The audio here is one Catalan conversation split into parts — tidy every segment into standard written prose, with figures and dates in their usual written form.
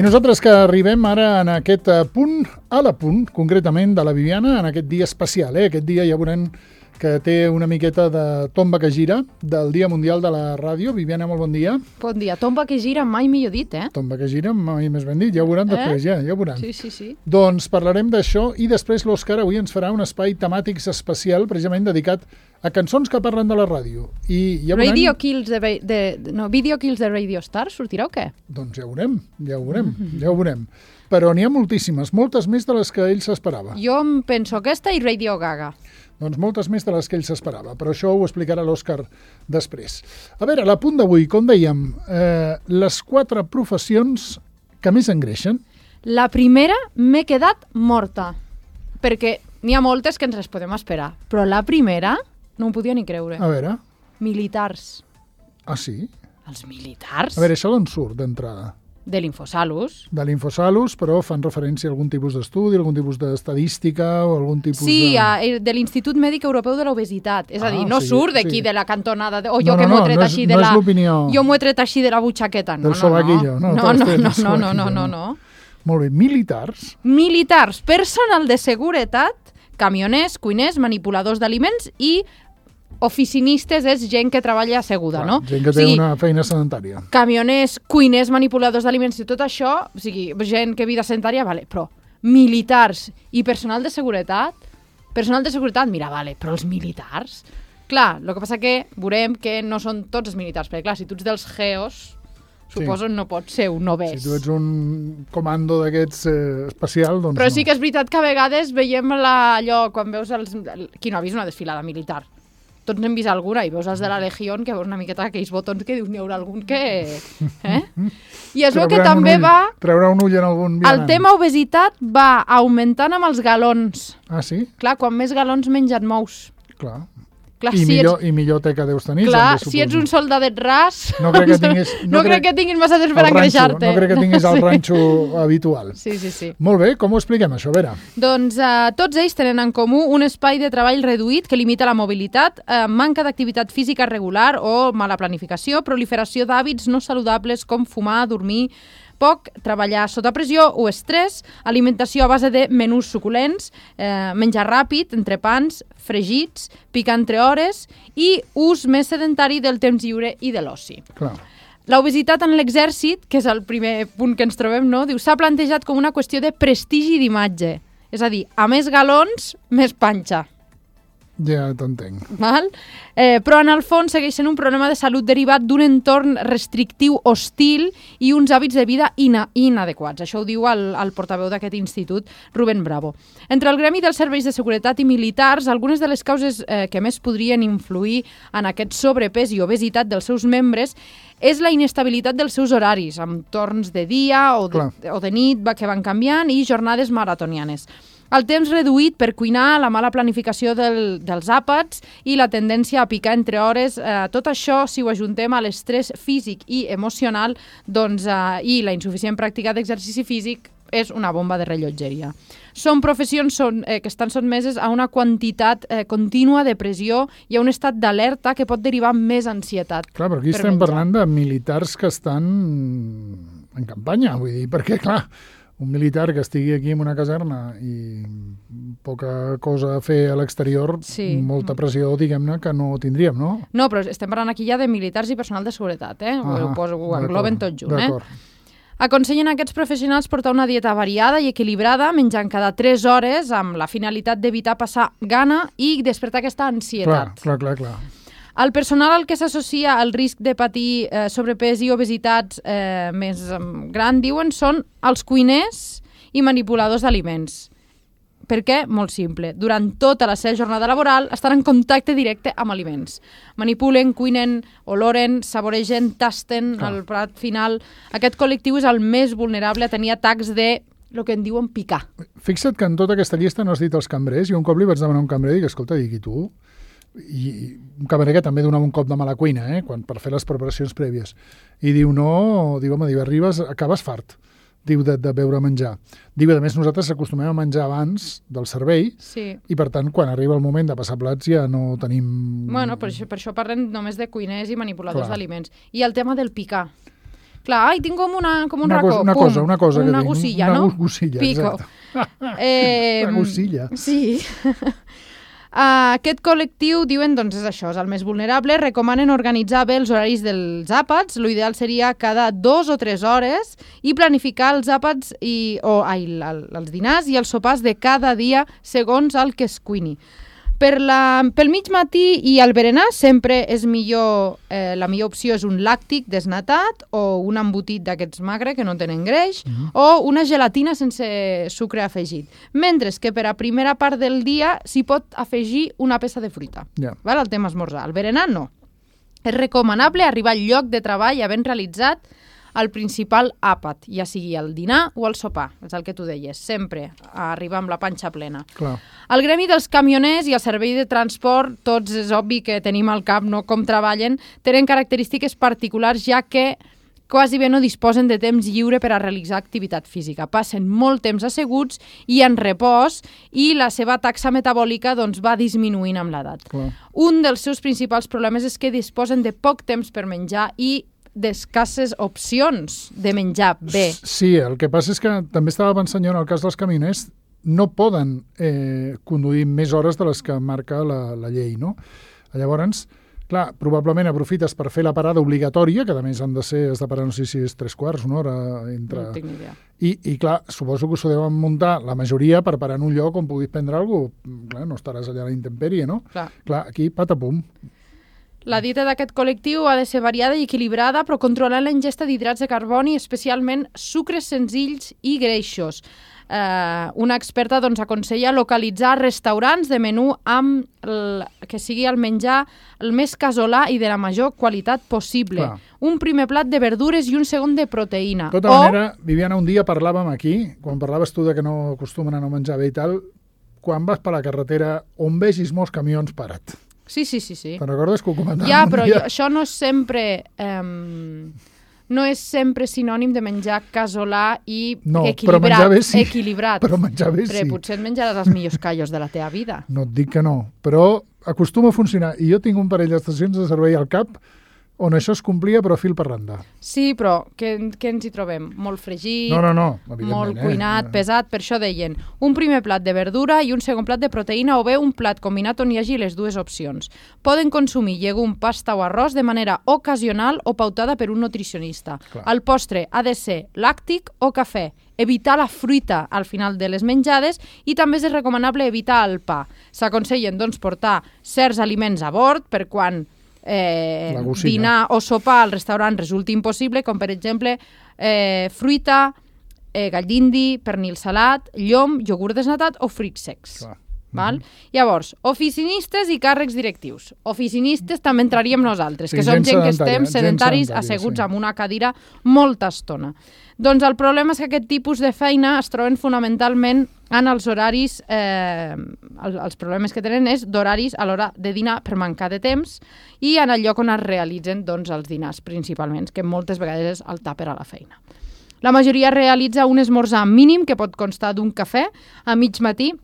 I nosaltres que arribem ara en aquest punt, a la punt, concretament, de la Viviana, en aquest dia especial. Aquest dia ja veurem que té una miqueta de tomba que gira del Dia Mundial de la Ràdio. Viviana, molt bon dia. Bon dia. Tomba que gira, mai millor dit, eh? Tomba que gira, mai més ben dit. Ja ho veuran després, ja ho veuran. Sí. Doncs parlarem d'això i després l'Òscar avui ens farà un espai temàtic especial precisament dedicat a cançons que parlen de la ràdio. I ja veurem... Video Kills de Radio Star, sortirà o què? Doncs ja ho veurem. Però n'hi ha moltíssimes, moltes més de les que ell s'esperava. Jo em penso aquesta i Radio Gaga. Doncs moltes més de les que ell s'esperava, però això ho explicarà l'Òscar després. A veure, a la punt d'avui, com dèiem, les 4 professions que més engreixen. La primera m'he quedat morta, perquè n'hi ha moltes que ens les podem esperar, però la primera no ho podia ni creure. A veure. Militars. Ah, sí? Els militars? A veure, això d'on surt d'entrada? De l'Infosalus. De l'Infosalus, però fan referència a algun tipus d'estudi, algun tipus d'estadística o algun tipus de l'Institut Mèdic Europeu de l'Obesitat. És a dir, no surt d'aquí de la cantonada, o jo que m'ho he tret així de la... No és l'opinió... Jo m'ho he tret així de la butxaqueta. Del sobaquillo. No. Molt bé, militars. Militars, personal de seguretat, camioners, cuiners, manipuladors d'aliments i oficinistes és gent que treballa asseguda, no? Gent que té una feina sedentària. Camioners, cuiners, manipuladors d'aliments i tot això, o sigui, gent que vida sedentària, vale, però militars i personal de seguretat, mira, vale, però els militars... Clar, el que passa que veurem que no són tots els militars, perquè clar, si tu ets dels GEOs, suposo no pots ser un novès. Si tu ets un comando d'aquests especial, doncs però sí que és veritat que a vegades veiem allò, quan veus qui no ha vist una desfilada militar? Tots n'hem vist alguna i veus els de la Legió que veus una miqueta aquells botons que dius n'hi haurà algun que... I es veu que també treurà un ull en algun vianant. El tema obesitat va augmentant amb els galons. Ah, sí? Clar, quan més galons menys et mous. Clar. I millor teca deus tenir. Clar, si ets un soldadet ras... No crec que tinguis massa temps per engreixar-te. No crec que tinguis el ranxo habitual. Sí. Molt bé, com ho expliquem, això? A veure. Doncs tots ells tenen en comú un espai de treball reduït que limita la mobilitat, manca d'activitat física regular o mala planificació, proliferació d'hàbits no saludables com fumar, dormir poc, treballar sota pressió o estrès, alimentació a base de menús suculents, menjar ràpid, entrepans, fregits, picar entre hores i ús més sedentari del temps lliure i de l'oci. Clar. L'obesitat en l'exèrcit, que és el primer punt que ens trobem, no? Diu, s'ha plantejat com una qüestió de prestigi d'imatge. És a dir, a més galons, més panxa. Ja t'entenc. Però en el fons segueix sent un problema de salut derivat d'un entorn restrictiu hostil i uns hàbits de vida inadequats. Això ho diu el portaveu d'aquest institut, Rubén Bravo. Entre el gremi dels serveis de seguretat i militars, algunes de les causes que més podrien influir en aquest sobrepès i obesitat dels seus membres és la inestabilitat dels seus horaris, amb torns de dia o de nit que van canviant i jornades maratonianes. El temps reduït per cuinar, la mala planificació dels àpats i la tendència a picar entre hores, tot això, si ho ajuntem a l'estrès físic i emocional i la insuficient pràctica d'exercici físic, és una bomba de rellotgeria. Són professions que estan sotmeses a una quantitat contínua de pressió i a un estat d'alerta que pot derivar més ansietat. Clar, però aquí estem parlant de militars que estan en campanya, vull dir, perquè, clar, un militar que estigui aquí en una caserna i poca cosa a fer a l'exterior, molta pressió, diguem-ne, que no tindríem, no? No, però estem parlant aquí ja de militars i personal de seguretat, ho engloben tot junt, D'acord. Aconsellen a aquests professionals portar una dieta variada i equilibrada, menjant cada 3 hores, amb la finalitat d'evitar passar gana i despertar aquesta ansietat. Clar. El personal al que s'associa el risc de patir sobrepès i obesitats més gran, diuen, són els cuiners i manipuladors d'aliments. Per què? Molt simple. Durant tota la seva jornada laboral estan en contacte directe amb aliments. Manipulen, cuinen, oloren, saboregen, tasten el plat final. Aquest col·lectiu és el més vulnerable a tenir atacs de el que en diuen picar. Fixa't que en tota aquesta llista no has dit els cambrers. Jo un cop li vaig demanar a un cambrer i dic, escolta, i tu? I un cambrer que també donava un cop de mala cuina, per fer les preparacions prèvies. I diu, arribes, acabes fart. diu, de beure menjar. Diu, a més, nosaltres acostumem a menjar abans del servei i, per tant, quan arriba el moment de passar plats ja no tenim... Bueno, per això parlem només de cuiners i manipuladors d'aliments. I el tema del picar. Clar, tinc com un racó. Una cosa que una tinc. gussilla, una no? Gussilla, Pico. exacte. Una gussilla. Sí. Aquest col·lectiu, diuen, doncs és això, és el més vulnerable, recomanen organitzar bé els horaris dels àpats, l'ideal seria cada 2 o 3 hores i planificar els àpats els dinars i els sopars de cada dia segons el que es cuini. Pel mig matí i al berenar sempre és millor, la millor opció és un làctic desnatat o un embotit d'aquests magre que no tenen greix o una gelatina sense sucre afegit. Mentre que per a primera part del dia s'hi pot afegir una peça de fruita. Val? El tema esmorzar. Al berenar no. És recomanable arribar al lloc de treball havent realitzat el principal àpat, ja sigui el dinar o el sopar, és el que tu deies, sempre arribar amb la panxa plena. Clar. El gremi dels camioners i el servei de transport, tots és obvi que tenim al cap no com treballen, tenen característiques particulars ja que quasi bé no disposen de temps lliure per a realitzar activitat física. Passen molt temps asseguts i en repòs i la seva taxa metabòlica doncs, va disminuint amb l'edat. Un dels seus principals problemes és que disposen de poc temps per menjar i d'escasses opcions de menjar bé. Sí, el que passa és que també estava pensant jo en el cas dels camioners, no poden conduir més hores de les que marca la llei, no? Llavors, clar, probablement aprofites per fer la parada obligatòria, que a més has de parar, no sé si és 3/4, una hora entre... No tinc ni idea. I clar, suposo que s'ho deuen muntar la majoria per parar en un lloc on puguis prendre alguna cosa. Clar, no estaràs allà a la intempèrie, no? Clar, aquí patapum. La dieta d'aquest col·lectiu ha de ser variada i equilibrada, però controlant la ingesta d'hidrats de carboni, especialment sucres senzills i greixos. Una experta doncs, aconsella localitzar restaurants de menú amb que sigui el menjar el més casolà i de la major qualitat possible. Clar. Un primer plat de verdures i un segon de proteïna. De tota manera, Viviana, un dia parlàvem aquí, quan parlaves tu de que no acostumen a no menjar bé i tal, quan vas per la carretera on vegis molts camions parat. Sí. Te'n recordes que ho comentàvem? Ja, però això no és sempre... no és sempre sinònim de menjar casolà i equilibrat. Però menjar bé sí. Equilibrat. Però menjar bé sí. Però potser et menjaràs els millors callos de la teva vida. No et dic que no, però acostuma a funcionar. I jo tinc un parell d'estacions de servei al cap on això es complia, però fil per randa. Sí, però què ens hi trobem? Molt fregit, no, molt cuinat, pesat, per això deien un primer plat de verdura i un segon plat de proteïna o bé un plat combinat on hi hagi les dues opcions. Poden consumir llegum, pasta o arròs de manera ocasional o pautada per un nutricionista. Clar. El postre ha de ser làctic o cafè. Evitar la fruita al final de les menjades i també és recomanable evitar el pa. S'aconsellen doncs portar certs aliments a bord per quan dinar o sopar al restaurant resulta impossible, com per exemple fruita, gall d'indi, pernil salat, llom, iogurt desnatat o fruits secs. Val? Llavors, oficinistes i càrrecs directius. Oficinistes també entraríem nosaltres, que som gent que estem sedentaris asseguts amb una cadira molta estona. Doncs el problema és que aquest tipus de feina es troben fonamentalment en els horaris, els problemes que tenen és d'horaris a l'hora de dinar per mancar de temps i en el lloc on es realitzen doncs, els dinars principalment, que moltes vegades és el tàper a la feina. La majoria realitza un esmorzar mínim que pot constar d'un cafè a mig matí,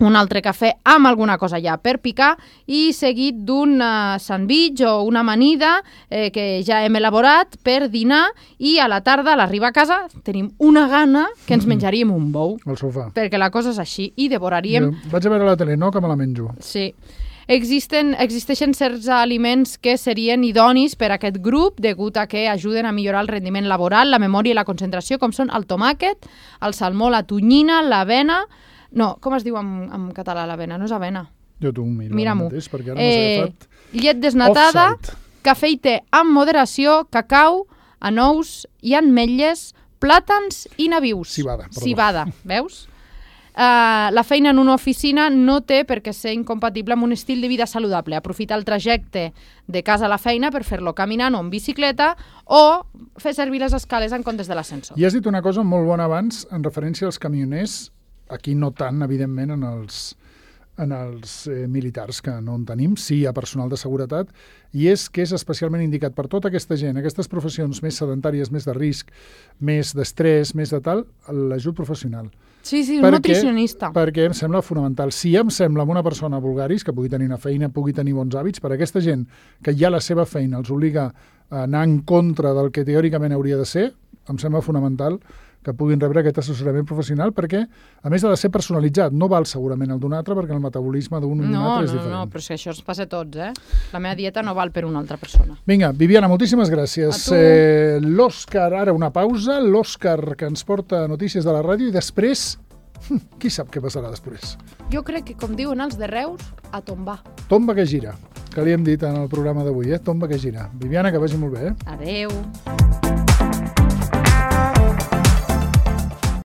un altre cafè amb alguna cosa ja per picar i seguit d'un sandvitx o una amanida que ja hem elaborat per dinar i a la tarda, a l'arribar a casa, tenim una gana que ens menjaríem un bou. Al sofà. Perquè la cosa és així i devoraríem... Vaig a veure la tele, no? Que me la menjo. Sí. Existeixen certs aliments que serien idonis per a aquest grup degut a que ajuden a millorar el rendiment laboral, la memòria i la concentració, com són el tomàquet, el salmó, la tonyina, l'avena... No, com es diu en català l'avena? No és avena. Jo t'ho miro. Mira-m'ho. Mateix, perquè ara m'has agafat... Llet desnatada, cafè i te amb moderació, cacau, anous i ametlles, plàtans i nabius. Civada, veus? La feina en una oficina no té per què ser incompatible amb un estil de vida saludable. Aprofitar el trajecte de casa a la feina per fer-lo caminant o en bicicleta o fer servir les escales en comptes de l'ascensor. I has dit una cosa molt bona abans en referència als camioners, aquí no tant, evidentment, en en els militars, que no en tenim, sí hi ha personal de seguretat, i és que és especialment indicat per tota aquesta gent, aquestes professions més sedentàries, més de risc, més d'estrès, més de tal, l'ajut professional. Sí, un nutricionista. Perquè em sembla fonamental. Si ja em sembla amb una persona vulgaris, que pugui tenir una feina, pugui tenir bons hàbits, per a aquesta gent que ja la seva feina els obliga a anar en contra del que teòricament hauria de ser, em sembla fonamental que puguin rebre aquest assessorament professional, perquè, a més, ha de ser personalitzat. No val segurament el d'un altre, perquè el metabolisme d'un i d'un altre és diferent. No, però és que això ens passa a tots, La meva dieta no val per una altra persona. Vinga, Viviana, moltíssimes gràcies. L'Òscar, ara una pausa, l'Òscar que ens porta notícies de la ràdio, i després, qui sap què passarà després? Jo crec que, com diuen els de Reus, a tombar. Tomba que gira, que li hem dit en el programa d'avui, Tomba que gira. Viviana, que vagi molt bé, Adeu.